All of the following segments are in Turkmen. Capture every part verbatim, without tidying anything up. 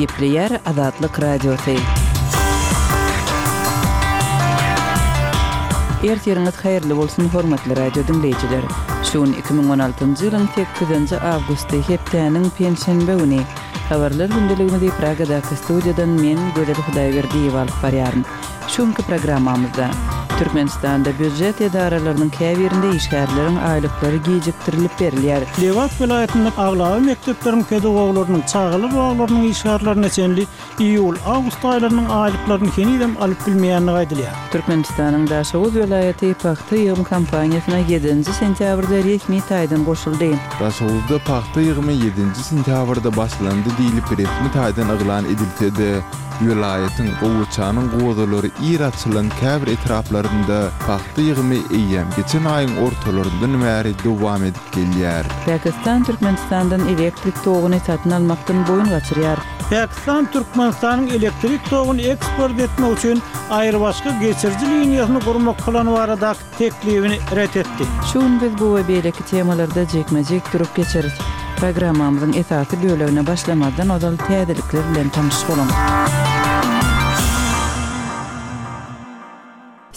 Gepleýär Azatlyk Radiosy. Ertiriňiz haýyrly bolsun, hormatly radio diňleýjiler. Şu gün iki müň on altynjy ýylyň sekizinji awgusty, hepdäniň penşenbe güni. Habarlar gündeligimizi Pragadaky studiýadan men, Gözel Hudaýberdiýewa alyp barýaryn. Şu günki programmamyzda Türkmenistanda býujet edaralarynyň käbirinde işgärleriň aýlyklary gijikdirilip berilýär. Lebap welaýatynda aglaba mekdepleriň pedagoglarynyň, çagalar baglarynyň işgärlerine çenli iýul-awgust aýlarynyň aýlyklaryny henizem alyp bilmeýändigi aýdylýar. Türkmenistanyň Daşoguz welaýaty pagta ýygym kampaniýasyna ýedinji sentýabrda resmi taýdan goşuldy. Daşoguzda pagta ýygymy ýedinji sentýabrda başlandy diýlip resmi taýdan yglan edilse-de, welaýatyň gowaçanyň gozalary ir açylan käbir etraplarynda pagta ýygymy eýýäm geçen aýyň ortalaryndan bäri dowam edip gelýär. Pakistan Türkmenistandan elektrik toguny satyn almakdan boýun gaçyrýar. Pakistan Türkmenistanyň elektrik toguny eksport etmek üçin aýrybaşga geçiriji liniýasyny gurmak plany baradaky teklibini ret etdi. Şu gün biz bu we beýleki temalarda jikme-jik durup geçeris. Programmamyzyň esasy bölegine başlamazdan ozal täzelikler bilen tanyş boluň.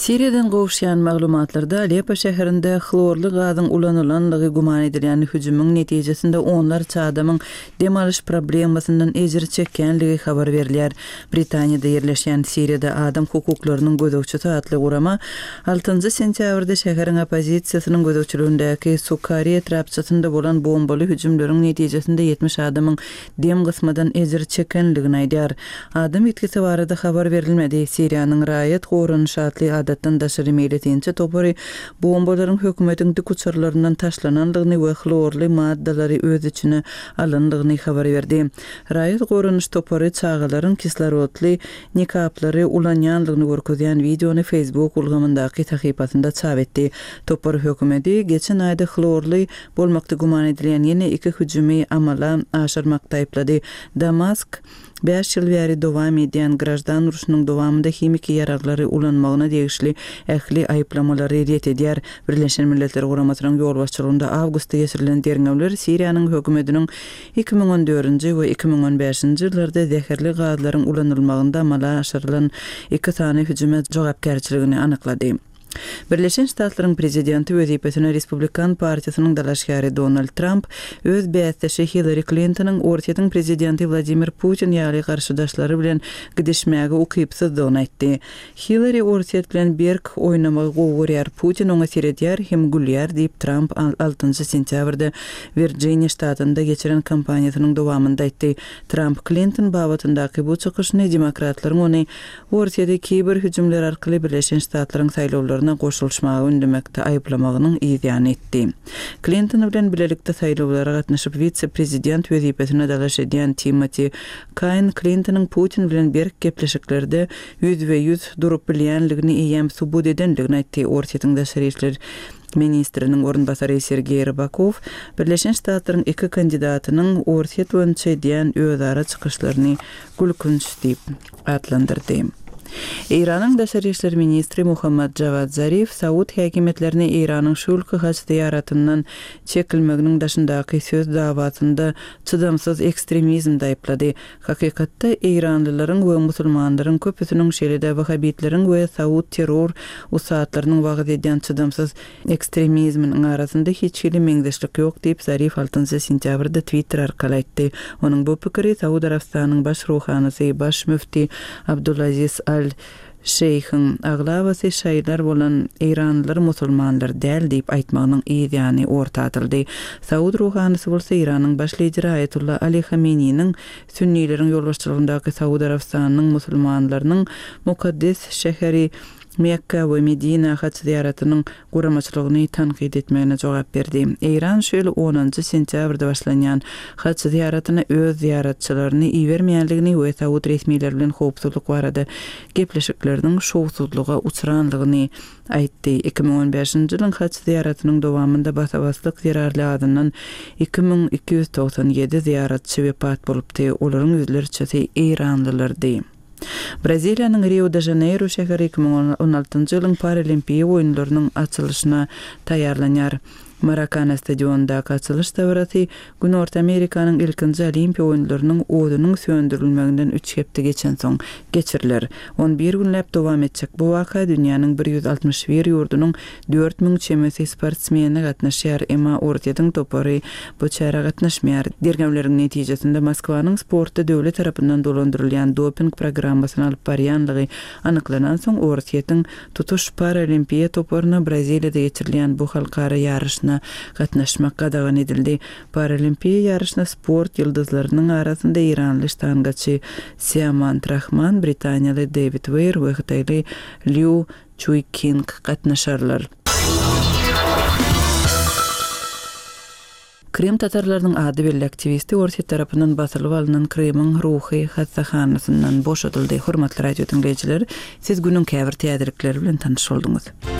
Siriýadan gowuşýan maglumatlarda Aleppo şäherinde hlorly gazyň ulanylandygy güman edilýän hüjümiň netijesinde onlarça adamyň dem alyş problemasyndan ejir çekýänligi habar berilýär. Britaniýada ýerleşýän Siriýada adam hukuklarynyň gözegçisi atly gurama altynjy sentýabrda şäheriň oppozisiýasynyň gözegçiligindäki Sukari etrapçasynda bolan bombaly hüjümleriň netijesinde ýetmiş adamyň dem gysmadan ejir çekenligini aýdýar. Adam ýitgisi barada habar berilmedi. Siriýanyň raýat goranyş atly adatdan daşary meýletinçi topary bombalaryň hökümetiň dik uçarlaryndan taşlanandygyny we hlorly maddalary öz içine alandygyny habar berdi. Raýat goranyş topary çagalaryň kislorodly nikaplary ulanýandygyny görkezýän wideony Facebook ulgamyndaky sahypasynda çap etdi. Topar hökümeti geçen aýda hlorly bolmakda güman edilýän ýene iki hüjümi amala aşyrmakda aýyplady. Damask bäş ýyl bäri dowam edýän graždan urşunyň dowamynda himiki ýaraglary ulanmagyna degişli ähli aýyplamalary ret edýär. Birleşen Milletler Guramasynyň ýolbaşçylygynda awgustda geçirilen derňewler Siriýanyň hökümetiniň iki müň on dördünji we iki müň on bäşinji ýyllarda zäherli gazlaryň ulanylmagynda amala aşyrylan iki sany hüjüme jogapkärçiligini anyklady. Birleşen Ştatlaryň prezidenti wezipesine Respublikan partiýasynyň dalaşgäri Donald Trump öz bäsdeşi Hillary Clintonyň Orsýetiň prezidenti Wladimir Putin ýaly garşydaşlary bilen gidişmäge ukypsyzdygyny aýtdy. Hillary Orsýet bilen berk oýnamagy gowy görýär, Putin oňa seredýär hem gülýär diýip Trump altynjy sentýabrda Virginia ştatynda geçiren kampaniýasynyň dowamynda aýtdy. Trump Clinton babatyndaky bu çykyşyny demokratlaryň ony Orsýeti kiber hüjümler arkaly Birleşen Ştatlaryň saýlawlaryna goşulyşmaga ündemekde aýyplamagynyň ýany etdi. Clinton bilen bilelikde saýlawlara gatnaşyp wise-prezident wezipesine dalaş edýän Timothy Kain Clintonyň Putin bilen berk gepleşiklerde ýüz we ýüz durup bilýänligini eýýäm subut edenligini aýtdy. Orsýetiň daşary işler ministriniň orunbasary Sergeý Rybakow Birleşen Ştatlaryň iki kandidatynyň Orsýet boýunça edýän özara çykyşlaryny gülkünç diýip atlandyrdy. Eýranyň daşary işler ministri Muhammad Javad Zarif Saud häkimiýetlerini Eýranyň şu ýylky haç zyýaratyndan çekilmeginiň daşyndaky söz dawasynda çydamsyz ekstremizmde aýyplady. Hakykatda eýranlylaryň we musulmanlaryň köpüsiniň şeýle-de wahabitleriň we Saud terror ussatlarynyň wagyz edýän çydamsyz ekstremizminiň arasynda hiç hili meňzeşlik ýok diýip Zarif altynjy sentýabrda Twitter arkaly aýtdy. Onuň bu pikiri Saud Arabystanyň baş ruhanysy, baş müfti Abdulaziz Al Şeyhiň aglabasy şaýlar bolan eýranlylar musulmanlar däl diýip aýtmagynyň ýany orta atyldy. Saud ruhanysy bolsa Eýranyň baş lideri Aýatullah Ali Hameneýiniň sünnileriň ýolbaşçylygyndaky Saud Arabystanynyň musulmanlarynyň mukaddes şäheri Mekka we Medina haç zyýaratynyň guramaçylygyny tankyt etmegine jogap berdi. Eýran şu ýyl onunjy sentýabrda başlanýan haç zyýaratyna öz zyýaratçylaryny ibermeýänligini we Saud resmileri bilen howpsuzlyk barada gepleşikleriniň şowsuzlyga uçranlygyny aýtdy. Iki müň on bäşinji ýylyň haç zyýaratynyň dowamynda basabaslyk zerarly adyndan iki müň iki ýüz togsan ýedi zyýaratçy wepat bolupdy. Olaryň ýüzlerçesi eýranlylardy. Braziliýanyň Rio de Janeiro şäheri iki müň on altynjy ýylyň Paralimpiýa oýunlarynyň açylyşyna taýýarlanýar. Marakana stadionyndaky açylyş dabarasy Günorta Amerikanyň ilkinji Olimpiýa oýunlarynyň odunyň söndürilmeginden üç hepde geçensoň geçiriler. On bir günläp dowam etjek bu waka dünýäniň bir ýüz altmyş bir ýurdunyň dört müň çemesi sportsmeni gatnaşýar, emma Orsýetiň topary bu çärä gatnaşmaýar. Derňewleriň netijesinde Moskwanyň sportda döwlet tarapyndan dolandyrylýan doping programmasyny alyp barýanlygy anyklanansoň, Orsýetiň tutuş paralimpiýa toparyna Braziliýada geçirilýän bu halkara ýaryşyna gatnaşmak gadagan edildi. Paralimpiýa ýaryşyna sport ýyldyzlarynyň arasynda eýranly ştangaçy Siamant Rahman, britaniýaly Dewid Weýr we hytaýly Lýu Çuý-King gatnaşarlar. Krym tatarlarynyň ady belli aktiwisti Orsýet tarapyndan basylyp alnan Krymyň ruhy hassahanasyndan boşadyldy. Hormatly radio diňleýjiler, siz günüň käbir täzelikleri bilen tanyş bolduňyz.